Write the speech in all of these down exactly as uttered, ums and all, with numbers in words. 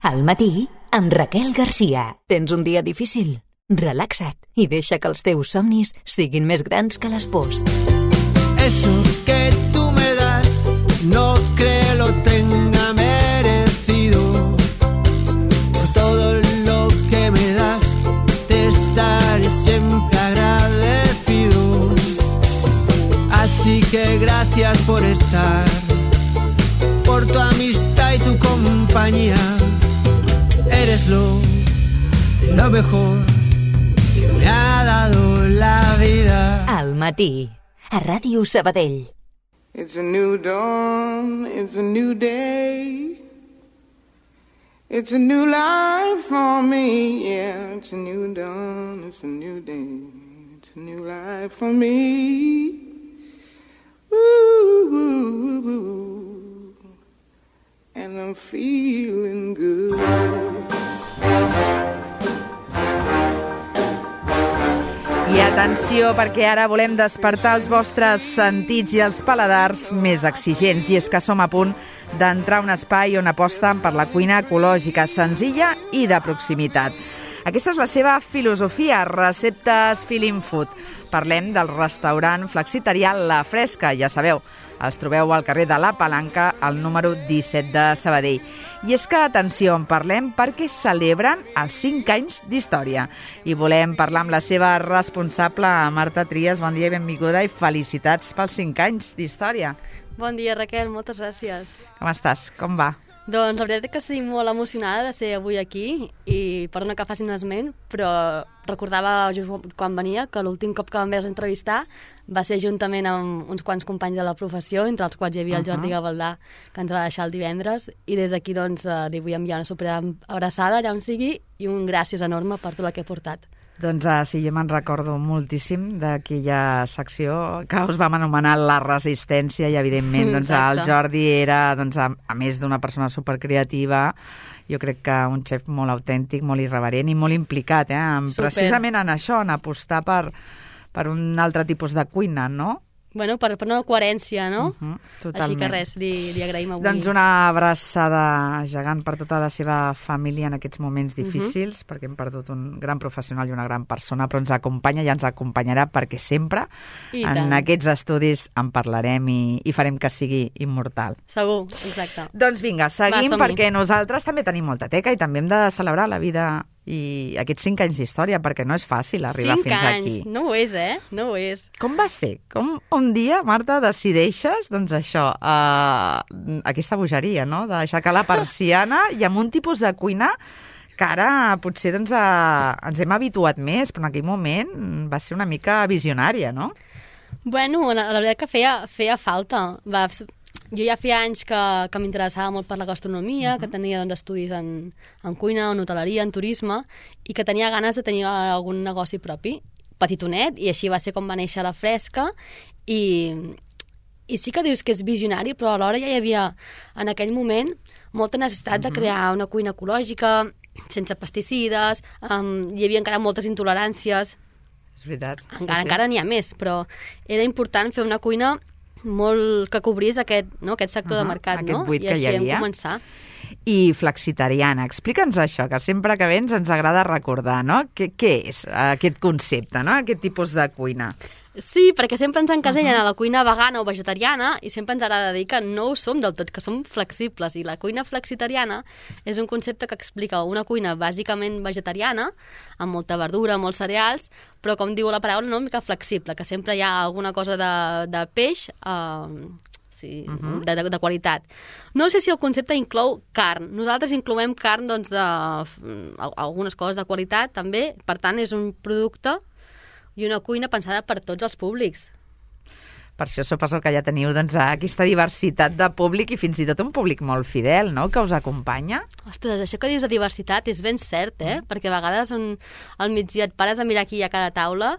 Al matí, amb Raquel Garcia. Tens un dia difícil? Relaxa't i deixa que els teus somnis siguin més grans que les pors. Eso que tú me das, no creo lo tenga merecido. Por todo lo que me das, te estaré siempre agradecido. Así que gracias por estar, por tu amistad y tu compañía. Eres lo, lo mejor que me ha dado la vida. Al matí, a Ràdio Sabadell. It's a new dawn, it's a new day. It's a new life for me, yeah. It's a new dawn, it's a new day. It's a new life for me. Woo, woo, woo. And I'm feeling good. I atenció, perquè ara volem despertar els vostres sentits i els paladars més exigents. I és que som a punt d'entrar a un espai on aposten per la cuina ecològica, senzilla i de proximitat. Aquesta és la seva filosofia, receptes feeling food. Parlem del restaurant flexitarià La Fresca, ja sabeu, els trobeu al carrer de la Palanca, al número disset de Sabadell. I és que, atenció, en parlem perquè celebren els cinc anys d'història. I volem parlar amb la seva responsable, Marta Trias. Bon dia i benvinguda i felicitats pels cinc anys d'història. Bon dia, Raquel, moltes gràcies. Com estàs? Com va? Doncs la veritat és que estic molt emocionada de ser avui aquí i perdona que faci un esment, però recordava just quan venia que l'últim cop que vam haver entrevistar va ser juntament amb uns quants companys de la professió, entre els quals hi havia el Jordi Gavaldà, que ens va deixar el divendres, i des d'aquí doncs, li vull enviar una super abraçada allà on sigui i un gràcies enorme per tot el que he portat. Doncs uh, sí, jo me'n recordo moltíssim d'aquella secció que us vam anomenar La Resistència i, evidentment, doncs, el Jordi era, doncs, a, a més d'una persona supercreativa, jo crec que un xef molt autèntic, molt irreverent i molt implicat, eh, en, precisament en això, en apostar per, per un altre tipus de cuina, no? Bueno, per, per una coherència, no? Uh-huh, totalment. Així que res, li, li agraïm avui. Doncs una abraçada gegant per tota la seva família en aquests moments difícils, uh-huh. perquè hem perdut un gran professional i una gran persona, però ens acompanya i ens acompanyarà perquè sempre I en tant. Aquests estudis en parlarem i, i farem que sigui immortal. Segur, exacte. Doncs vinga, seguim. Va, perquè nosaltres també tenim molta teca i també hem de celebrar la vida i aquests cinc anys d'història, perquè no és fàcil arribar cinc fins anys. aquí. No ho és, eh? No ho és. Com va ser? Com un dia, Marta, decideixes, doncs això, uh, aquesta bogeria, no?, d'aixecar la persiana i amb un tipus de cuina que ara potser doncs, uh, ens hem habituat més, però en aquell moment va ser una mica visionària, no? Bueno, la, la veritat que feia, feia falta. Va... Jo ja feia anys que, que m'interessava molt per la gastronomia, uh-huh. que tenia doncs, estudis en, en cuina, en hoteleria, en turisme, i que tenia ganes de tenir algun negoci propi, petitonet, i així va ser com va néixer La Fresca, i, i sí que dius que és visionari, però alhora ja hi havia, en aquell moment, molta necessitat uh-huh. de crear una cuina ecològica, sense pesticides, um, hi havia encara moltes intoleràncies. És veritat. Encara, sí, sí. encara n'hi ha més, però era important fer una cuina molt que cobrís aquest, no, aquest sector uh-huh, de mercat, aquest no? buit I que així hi havia. hem començar. I flexitariana, explica'ns això, que sempre que vens ens agrada recordar, no? Què, què és aquest concepte, no? Aquest tipus de cuina? Sí, perquè sempre ens encasellen uh-huh. a la cuina vegana o vegetariana i sempre ens agrada dir que no ho som del tot, que som flexibles. I la cuina flexitariana és un concepte que explica una cuina bàsicament vegetariana, amb molta verdura, molts cereals, però com diu la paraula, no, una mica flexible, que sempre hi ha alguna cosa de, de peix... Eh, sí, uh-huh. de, de, de qualitat. No sé si el concepte inclou carn. Nosaltres incloem carn doncs, de algunes coses de qualitat, també. Per tant, és un producte i una cuina pensada per tots els públics. Per això suposo que ja teniu doncs, aquesta diversitat de públic i fins i tot un públic molt fidel, no?, que us acompanya. Ostres, això que dius de diversitat és ben cert, eh? Mm. Perquè a vegades un, al migdia et pares a mirar qui hi ha a cada taula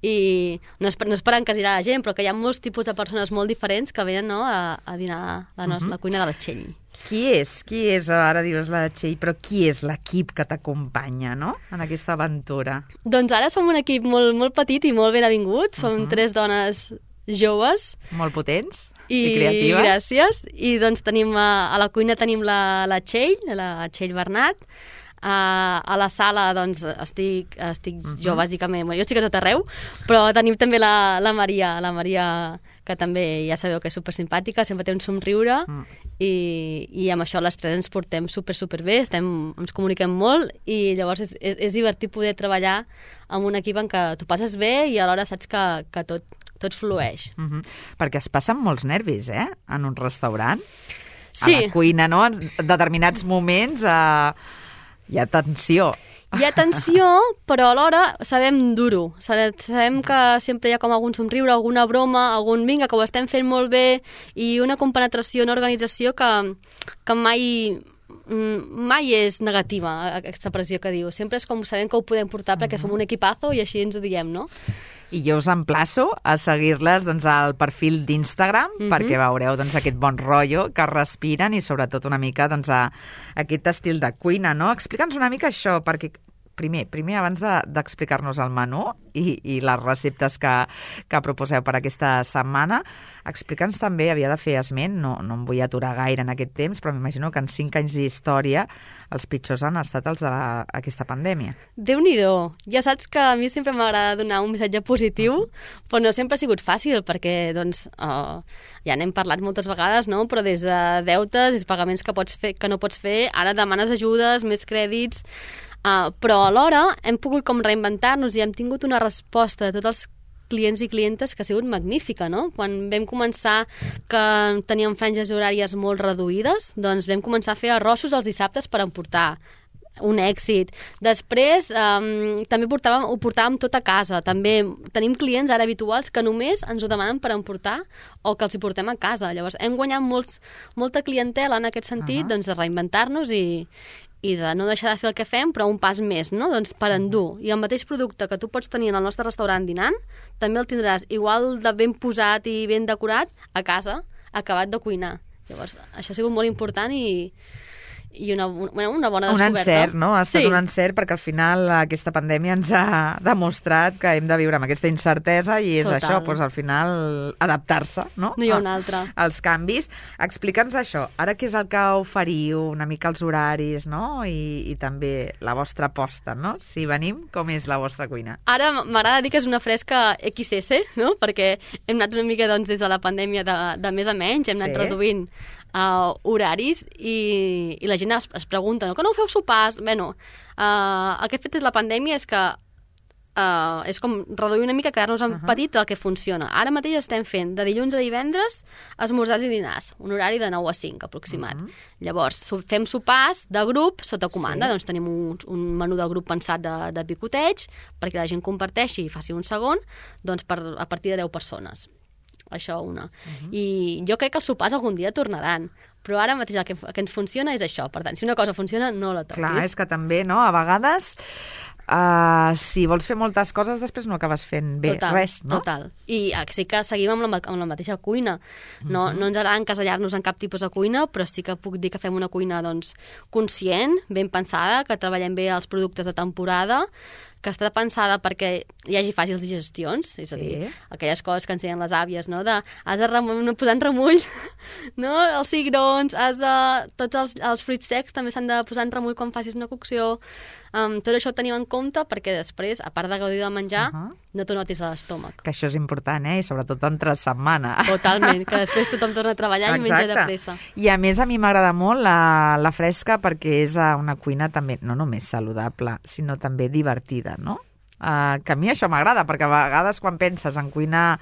i no és per, no és per encasirar la gent, però que hi ha molts tipus de persones molt diferents que venen, no, a, a dinar la, nostra, uh-huh. la cuina de la Txell. Qui és? Qui és? Ara dius la Txell, però qui és l'equip que t'acompanya, no?, en aquesta aventura? Doncs ara som un equip molt, molt petit i molt ben avingut. Som uh-huh. tres dones joves. Molt potents. I, I creatives. Gràcies. I doncs tenim a, a la cuina tenim la, la Txell, la Txell Bernat. Uh, a la sala doncs estic, estic uh-huh. jo bàsicament, jo estic a tot arreu, però tenim també la, la Maria, la Maria que també ja sabeu que és supersimpàtica, sempre té un somriure uh. i, i amb això les tres ens portem super, super bé, estem, ens comuniquem molt i llavors és, és, és divertit poder treballar amb un equip en què tu passes bé i alhora saps que, que tot, tot flueix. Uh-huh. Perquè es passen molts nervis, eh?, en un restaurant. Sí. A la cuina, no?, en determinats moments... Eh... Hi ha tensió. Hi ha tensió, però alhora sabem dur-ho. Sabem que sempre hi ha com algun somriure, alguna broma, algun vinga, que ho estem fent molt bé, i una compenetració, una organització que, que mai, mai és negativa, aquesta pressió que diu. Sempre és com sabem que ho podem portar perquè som un equipazo i així ens ho diem, no? I jo us emplaço a seguir-les doncs, al perfil d'Instagram mm-hmm. perquè veureu doncs, aquest bon rotllo que respiren i sobretot una mica doncs, a, a aquest estil de cuina, no? Explica'ns una mica això, perquè primer, primer abans de, d'explicar-nos el menú i, i les receptes que, que proposeu per aquesta setmana, explica'ns també, havia de fer esment, no, no em vull aturar gaire en aquest temps, però m'imagino que en cinc anys d'història els pitjors han estat els d'aquesta pandèmia. Déu-n'hi-do. Ja saps que a mi sempre m'agrada donar un missatge positiu, però no sempre ha sigut fàcil, perquè doncs, uh, ja n'hem parlat moltes vegades, no? Però des de deutes i pagaments que, pots fer, que no pots fer, ara demanes ajudes, més crèdits, uh, però alhora hem pogut com reinventar-nos i hem tingut una resposta de tots els clients i clientes que ha sigut magnífica, no? Quan vam començar que teníem franges horàries molt reduïdes, doncs vam començar a fer arrossos els dissabtes per emportar. Un èxit. Després um, també portàvem, ho portàvem tot a casa. També tenim clients ara habituals que només ens ho demanen per emportar o que els hi portem a casa. Llavors hem guanyat molts, molta clientela en aquest sentit, uh-huh. doncs de reinventar-nos i, i de no deixar de fer el que fem, però un pas més, no? Doncs per endur. I el mateix producte que tu pots tenir en el nostre restaurant dinant, també el tindràs igual de ben posat i ben decorat a casa, acabat de cuinar. Llavors, això ha sigut molt important i, i una, una, una bona descoberta. Un encert, no? Ha estat sí. un encert perquè al final aquesta pandèmia ens ha demostrat que hem de viure amb aquesta incertesa i és Total. això, doncs al final adaptar-se, no? No hi ha una altra. Els canvis. Explica'ns això, ara què és el que oferiu, una mica els horaris, no? I, i també la vostra aposta, no? Si venim, com és la vostra cuina? Ara m'agrada dir que és una fresca equis esse, no? Perquè hem anat una mica doncs, des de la pandèmia de, de més a menys, hem anat sí. reduint Uh, horaris i, i la gent es, es pregunta, no? Que no feu sopars? Bueno, uh, el que ha fet la pandèmia és que uh, és com reduir una mica, quedar-nos en uh-huh. petit del que funciona. Ara mateix estem fent de dilluns a divendres esmorzars i dinars, un horari de nou a cinc aproximat. Uh-huh. Llavors, fem sopars de grup sota comanda, sí. doncs tenim un, un menú de grup pensat de, de picoteig perquè la gent comparteixi i faci un segon, doncs per, a partir de deu persones. Això una. Uh-huh. I jo crec que els sopars algun dia tornaran, però ara mateix el que, el que ens funciona és això. Per tant, si una cosa funciona, no la toquis. Clar, és que també, no?, a vegades uh, si vols fer moltes coses després no acabes fent bé total, res, no? Total. I sí que seguim amb la, amb la mateixa cuina. No, uh-huh. no ens agrada encasellar-nos en cap tipus de cuina, però sí que puc dir que fem una cuina doncs, conscient, ben pensada, que treballem bé els productes de temporada, que està pensada perquè hi hagi fàcils digestions, és a dir, sí. aquelles coses que ensenyen les àvies, no? De, has de rem- posar en remull, no? Els cigrons, has de... tots els, els fruits secs també s'han de posar en remull quan facis una cocció. Um, tot això ho tenim en compte perquè després, a part de gaudir del menjar, uh-huh. no t'ho notis a l'estómac. Que això és important, eh? I sobretot entre setmana. Totalment, que després tothom torna a treballar i menja de pressa. I a més a mi m'agrada molt la, la fresca perquè és una cuina també no només saludable, sinó també divertida, no? Uh, que a mi això m'agrada, perquè a vegades quan penses en cuina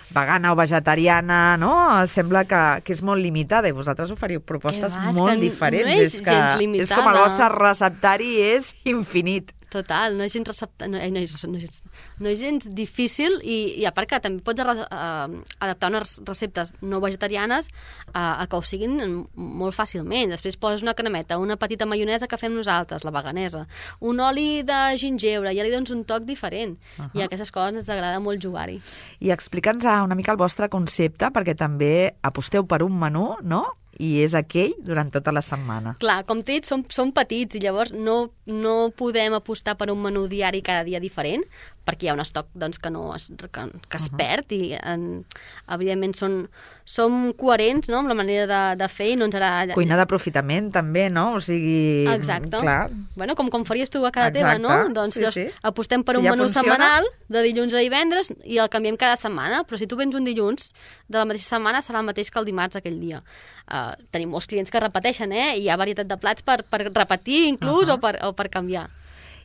vegana o vegetariana, no? Sembla que, que és molt limitada i vosaltres oferiu propostes va, molt diferents. No és, és, que, és com el vostre receptari és infinit. Total, no és gens, recepta... no, no, és, no, és, no és gens difícil i, i a part que també pots uh, adaptar unes receptes no vegetarianes uh, a que ho siguin molt fàcilment. Després poses una cremeta, una petita maionesa que fem nosaltres, la veganesa, un oli de gingebre, ja li dones un toc diferent. Uh-huh. I a aquestes coses ens agrada molt jugar-hi. I explica'ns una mica el vostre concepte, perquè també aposteu per un menú, no?, i és aquell durant tota la setmana. Clar, com t'he dit, som, som petits i llavors no, no podem apostar per un menú diari cada dia diferent, perquè hi ha un estoc doncs, que, no es, que, que es Uh-huh. perd i en, evidentment són, som coherents, no?, amb la manera de, de fer i no ens agrada... Cuina d'aprofitament, també, no? O sigui... Exacte. Clar. Bueno, com, com faries tu a casa Exacte. teva, no? Doncs Sí, llavors, sí. apostem per Si un ja menú funciona. setmanal de dilluns a divendres i el canviem cada setmana, però si tu vens un dilluns de la mateixa setmana serà el mateix que el dimarts aquell dia. Uh, tenim molts clients que repeteixen, eh? Hi ha varietat de plats per, per repetir inclús, Uh-huh. o, per, o per canviar.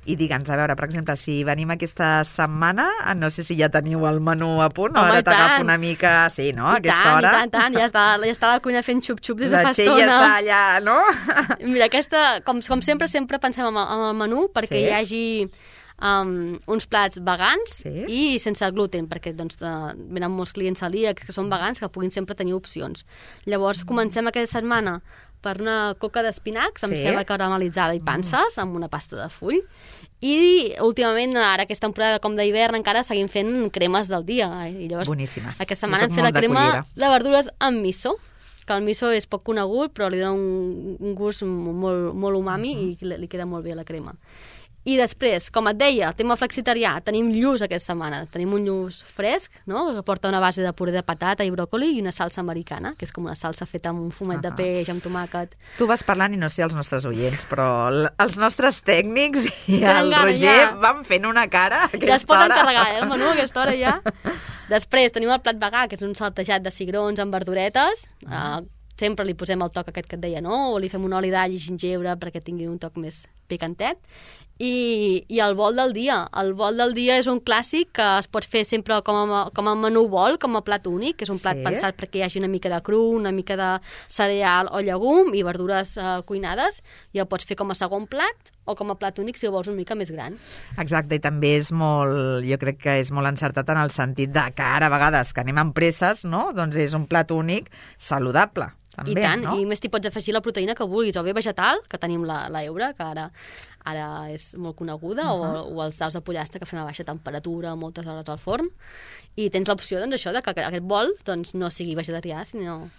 I digue'ns, a veure, per exemple, si venim aquesta setmana, no sé si ja teniu el menú a punt, o Home, ara i tant. t'agafa una mica... Sí, no? A I aquesta tant, hora. i tant, tant, ja està, ja està la cuina fent xup-xup des de La fa Txell estona. ja està allà, no? Mira, aquesta, com, com sempre, sempre pensem en el, en el menú perquè Sí. hi hagi um, uns plats vegans Sí. i sense gluten, perquè doncs, uh, venen molts clients celíacs que són vegans que puguin sempre tenir opcions. Llavors, comencem aquesta setmana per una coca d'espinacs amb Sí. ceba caramelitzada i panses, amb una pasta de full. I últimament, ara aquesta temporada com d'hivern, encara seguim fent cremes del dia. I llavors, Boníssimes. aquesta Jo setmana soc hem fet la molt de crema cullera. de verdures amb miso, que el miso és poc conegut, però li dona un, un gust molt, molt umami Uh-huh. i li, li queda molt bé la crema. I després, com et deia, tema flexitarià, tenim lluç aquesta setmana. Tenim un lluç fresc, no?, que porta una base de puré de patata i bròcoli i una salsa americana, que és com una salsa feta amb un fumet uh -huh. de peix, amb tomàquet. Tu vas parlant i no sé els nostres oients, però l- els nostres tècnics i Tenen el gana, Roger ja. van fent una cara a aquesta Ja es pot hora. encarregar, eh, el menú, a aquesta hora ja. Després tenim el plat vegà, que és un saltejat de cigrons amb verduretes. Uh, sempre li posem el toc aquest que et deia, no? O li fem un oli d'all i gingebre perquè tingui un toc més picantet. I, i el bol del dia. El bol del dia és un clàssic que es pot fer sempre com a, com a menú bol, com a plat únic, que és un plat Sí. pensat perquè hi hagi una mica de cru, una mica de cereal o llegum i verdures uh, cuinades, i el pots fer com a segon plat o com a plat únic si el vols una mica més gran. Exacte, i també és molt, jo crec que és molt encertat en el sentit de que ara a vegades que anem amb presses, no?, doncs és un plat únic saludable. També, I tant, no? i més t'hi pots afegir la proteïna que vulguis, o bé vegetal, que tenim la, la eura, que ara ara és molt coneguda, uh -huh. o, o els daus de pollastre que fem a baixa temperatura moltes hores al forn, i tens l'opció doncs, això de que aquest bol doncs, no sigui vegetarià, sinó...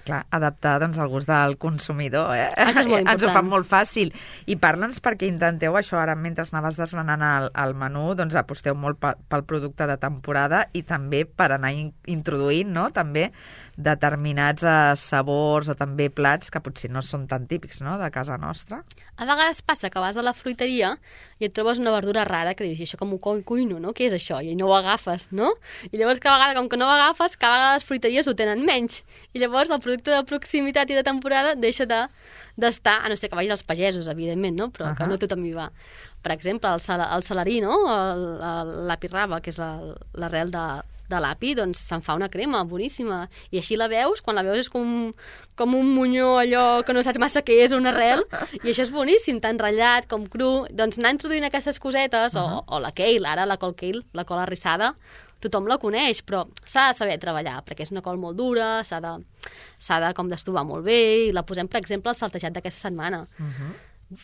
Clar, adaptar doncs, al gust del consumidor, eh? Això és molt Ens ho important. fan molt fàcil. I parla'ns perquè intenteu això, ara mentre anaves desgranant el, el menú, doncs aposteu molt pel, pel producte de temporada i també per anar in, introduint, no?, també determinats eh, sabors o també plats que potser no són tan típics, no?, de casa nostra. A vegades passa que vas a la fruiteria i et trobes una verdura rara que dius, i això com ho cu- cuino, no? Què és això? I no ho agafes, no? I llavors cada vegada, com que no ho agafes, cada vegada les fruiteries ho tenen menys. I llavors el producte de proximitat i de temporada deixa de d'estar, a no ser que vagis als pagesos, evidentment, no? Però uh -huh. que no tothom hi va. Per exemple, el, sal, el salarí, no? El, el, l'api raba, que és la- l'arrel de, de l'api, doncs se'n fa una crema boníssima. I així la veus, quan la veus és com, com un monyó allò que no saps massa què és, una arrel, i això és boníssim, tant ratllat com cru. Doncs anar introduint aquestes cosetes, uh -huh. o, o la kale, ara la col kale, la col arrissada, tothom la coneix, però s'ha de saber treballar, perquè és una col molt dura, s'ha de, s'ha de com d'estovar molt bé, i la posem, per exemple, al saltejat d'aquesta setmana. Uh -huh.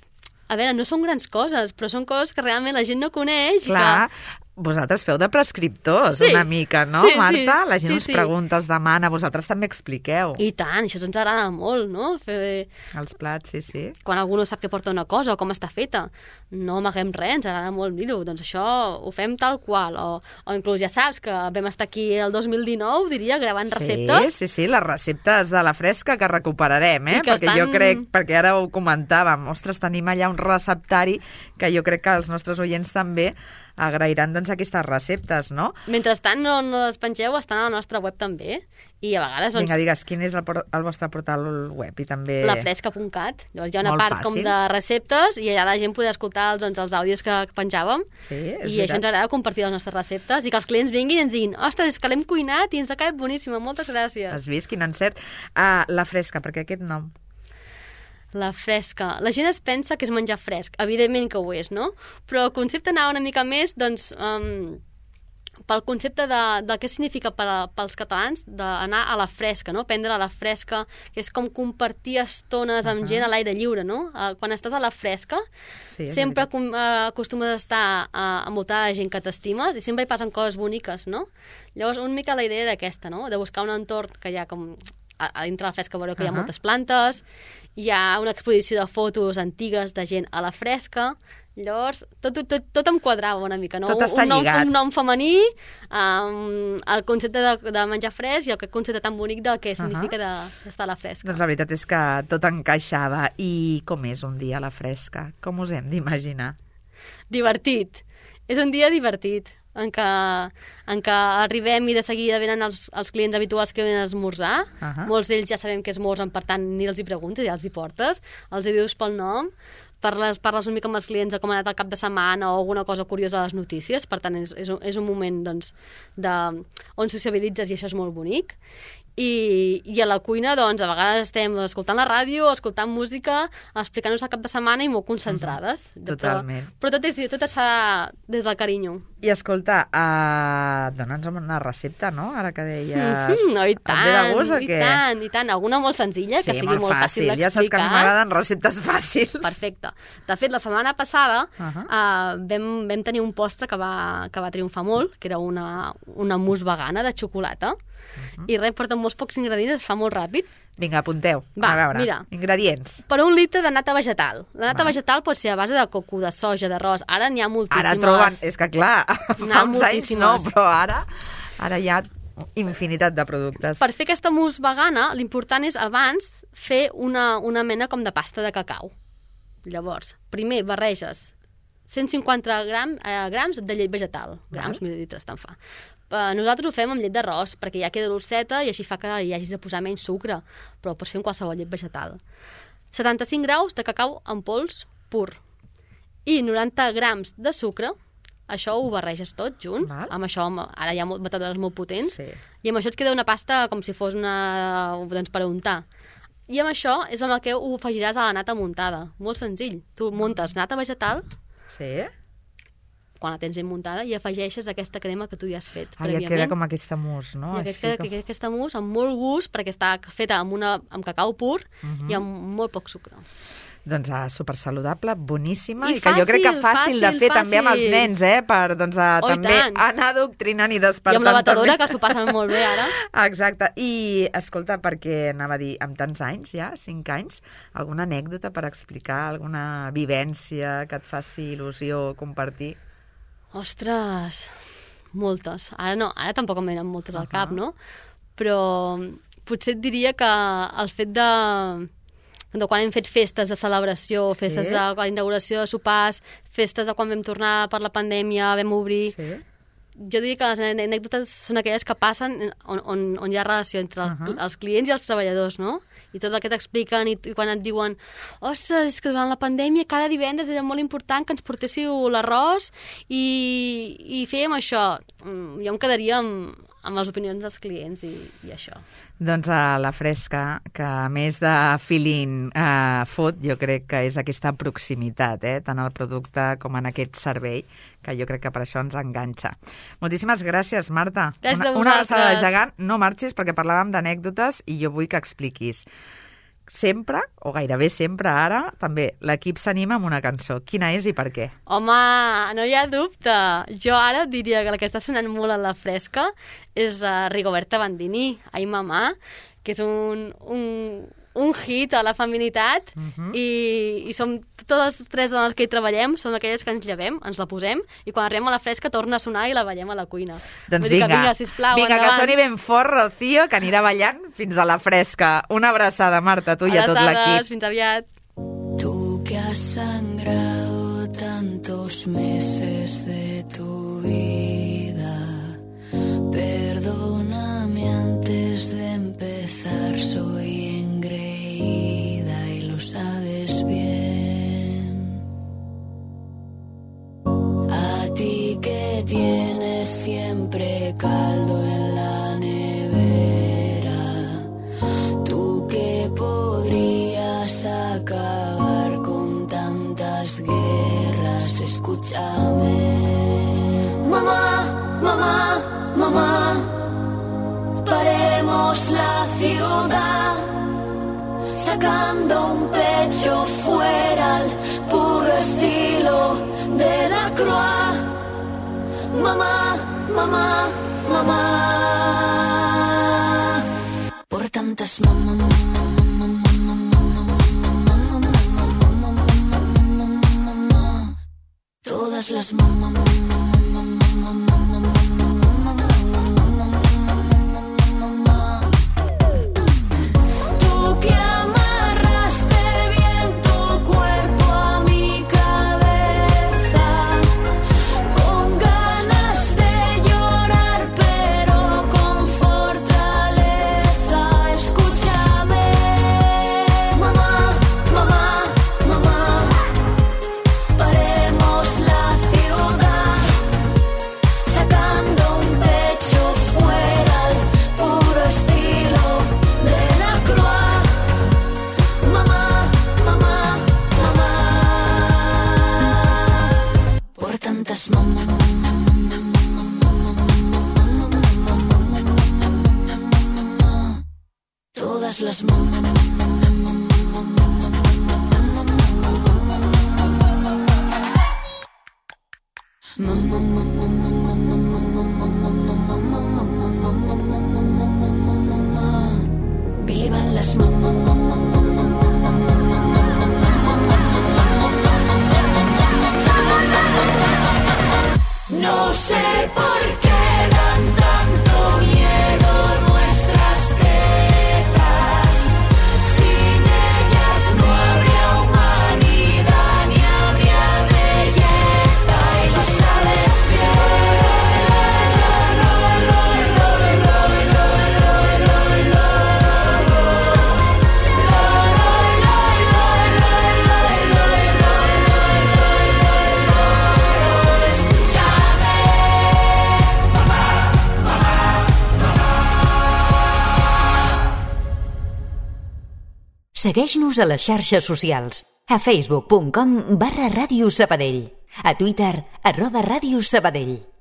A veure, no són grans coses, però són coses que realment la gent no coneix. Clar, i que... vosaltres feu de prescriptors Sí. una mica, no, Sí, sí. Marta? La gent Sí, us sí. pregunta, us demana, vosaltres també expliqueu I tant, això ens agrada molt, no? Fer... els plats, sí, sí. Quan algú no sap què porta una cosa o com està feta, no amaguem res, ens agrada molt dir-ho, doncs això ho fem tal qual, o, o inclús ja saps que vam estar aquí el dos mil dinou, diria, gravant receptes. Sí, sí, sí, les receptes de la fresca que recuperarem, eh? I que Perquè estan- jo crec, perquè ara ho comentàvem, ostres, tenim allà un receptari que jo crec que els nostres oients també agrairan doncs aquestes receptes, no? Mentrestant no, no les pengeu, estan a la nostra web també, i a vegades doncs, Vinga, digues, quin és el, por- el vostre portal web? I també... lafresca punt cat. Llavors hi ha una Molt part com fàcil. de receptes i allà la gent podrà escoltar els, doncs, els àudios que penjàvem. Sí, és I això veritat. ens agrada compartir les nostres receptes i que els clients vinguin i ens diguin, ostres, és que l'hem cuinat i ens ha quedat boníssima, moltes gràcies. Has vist quin encert? Ah, la fresca, perquè aquest nom. La fresca. La gent es pensa que és menjar fresc. Evidentment que ho és, no? Però el concepte anava una mica més, doncs, um, pel concepte de, de què significa per a, pels catalans d'anar a la fresca, no? Prendre a la fresca, que és com compartir estones amb Uh-huh. gent a l'aire lliure, no? Uh, quan estàs a la fresca, Sí, és sempre veritat. com, uh, acostumes a estar uh, envoltada de gent que t'estimes i sempre hi passen coses boniques, no? Llavors, una mica la idea d'aquesta, no? De buscar un entorn que hi ha com a, a dintre la fresca veureu que hi ha Uh-huh. moltes plantes hi ha una exposició de fotos antigues de gent a la fresca. Llavors, tot, tot, tot em quadrava una mica, no? Tot està un nom, lligat. Un nom femení, um, el concepte de, de menjar fresc i aquest concepte tan bonic del que significa uh-huh. d'estar a la fresca. Doncs la veritat és que tot encaixava. I com és un dia a la fresca? Com us hem d'imaginar? Divertit. És un dia divertit, en què, en què arribem i de seguida venen els, els clients habituals que venen a esmorzar. Uh-huh. Molts d'ells ja sabem que esmorzen, per tant, ni els hi preguntes, ja els hi portes, els hi dius pel nom, parles, parles una mica amb els clients de com ha anat el cap de setmana o alguna cosa curiosa a les notícies, per tant, és, és, un, és un moment doncs, de, on sociabilitzes i això és molt bonic. I, i a la cuina, doncs, a vegades estem escoltant la ràdio, escoltant música, explicant-nos el cap de setmana i molt concentrades. Uh-huh. Totalment. Però, però tot, és, tot es fa des del carinyo. I escolta, uh, dona'ns una recepta, no? Ara que deies... Mm-hmm, no, i tant, et ve de gust, o i què? tant, i tant. Alguna molt senzilla, sí, que sigui molt, molt fàcil d'explicar. Ja saps que a mi m'agraden receptes fàcils. Perfecte. De fet, la setmana passada uh-huh. uh, vam, vam tenir un postre que va, que va triomfar molt, que era una, una mousse vegana de xocolata. Uh-huh. I res, porta molts pocs ingredients, es fa molt ràpid. Vinga, apunteu. Va, a veure, mira. Ingredients. Per un litre de nata vegetal. La nata Va. vegetal pot ser a base de coco, de soja, d'arròs. Ara n'hi ha moltíssimes. Ara troben... És que clar, fa uns anys no, però ara, ara hi ha infinitat de productes. Per fer aquesta mousse vegana, l'important és abans fer una, una mena com de pasta de cacau. Llavors, primer barreges cent cinquanta gram, eh, grams de llet vegetal. Grams, uh-huh. mil·lilitres, tant fa. Nosaltres ho fem amb llet d'arròs, perquè ja queda dolceta i així fa que hi hagis de posar menys sucre, però ho pots fer amb qualsevol llet vegetal. setanta-cinc graus de cacau en pols pur i noranta grams de sucre. Això ho barreges tot junt. Val. Amb això, ara hi ha batedores molt potents, sí. I amb això et queda una pasta com si fos una... doncs per untar. I amb això és amb el que ho afegiràs a la nata muntada. Molt senzill. Tu muntes nata vegetal, sí. quan la tens ben muntada, i afegeixes aquesta crema que tu ja has fet ah, prèviament. Ja queda com aquesta mousse, no? I aquest, queda, com... aquesta mousse amb molt gust, perquè està feta amb, una, amb cacau pur uh-huh. i amb molt poc sucre. Doncs uh, supersaludable, boníssima, I, i que fàcil, jo crec que fàcil, fàcil de fer fàcil. També amb els nens, eh? Per doncs, uh, oh, també anar adoctrinant i despertant. I amb la batedora, que s'ho passen molt bé ara. Exacte. I, escolta, perquè anava a dir, amb tants anys ja, cinc anys, alguna anècdota per explicar, alguna vivència que et faci il·lusió compartir? Ostres, moltes. Ara no, ara tampoc em venen moltes al cap, no? Però potser et diria que el fet de... de quan hem fet festes de celebració, festes sí. de inauguració de sopars, festes de quan vam tornar per la pandèmia, vam obrir... Sí. Jo diria que les anècdotes són aquelles que passen on, on, on hi ha relació entre els, uh-huh. els clients i els treballadors, no? I tot el que t'expliquen i, i quan et diuen ostres, és que durant la pandèmia cada divendres era molt important que ens portéssiu l'arròs i, i fèiem això. Jo em quedaria amb, amb les opinions dels clients i, i això. Doncs a la fresca, que a més de feeling eh, fot, jo crec que és aquesta proximitat, eh, tant al producte com en aquest servei, que jo crec que per això ens enganxa. Moltíssimes gràcies, Marta. Gràcies una, a vosaltres. Una abraçada gegant. No marxis perquè parlàvem d'anècdotes i jo vull que expliquis. Sempre, o gairebé sempre ara, també l'equip s'anima amb una cançó. Quina és i per què? Home, no hi ha dubte. Jo ara diria que la que està sonant molt a la fresca és uh, Rigoberta Bandini, Ai Mamà, que és un, un, un hit a la feminitat uh-huh. i, i som totes les tres dones que hi treballem, som aquelles que ens llevem, ens la posem i quan arribem a la fresca torna a sonar i la ballem a la cuina. Doncs vinga, que, vinga, sisplau, vinga endavant. Que soni ben fort, Rocío, que anirà ballant fins a la fresca. Una abraçada, Marta, tu i a tot l'equip. Fins aviat. Tu que has sangrado tantos meses de tu vida, perdóname antes de empezar, soy engreída y lo sabes bien. A ti que tienes siempre caldo en la nevera, tú que podrías acabar con tantas guerras, escúchame. Mamá, mamá, mamá, paremos la ciudad, sacando un pecho fuera al puro estilo de la Croix. Mamá, mamá, mamá, por tantas mamá, mamá, mamá, mamá, mamá, mamá. todas las mamás. Todas las mamás. Vivan las mamás. No sé por qué dan tanto miedo nuestras tetas. Sin ellas no habría humanidad ni habría belleza. Y lo sabes Segueix-nos a les xarxes socials. A facebook punt com barra Ràdio Sabadell. A Twitter, arroba Ràdio Sabadell.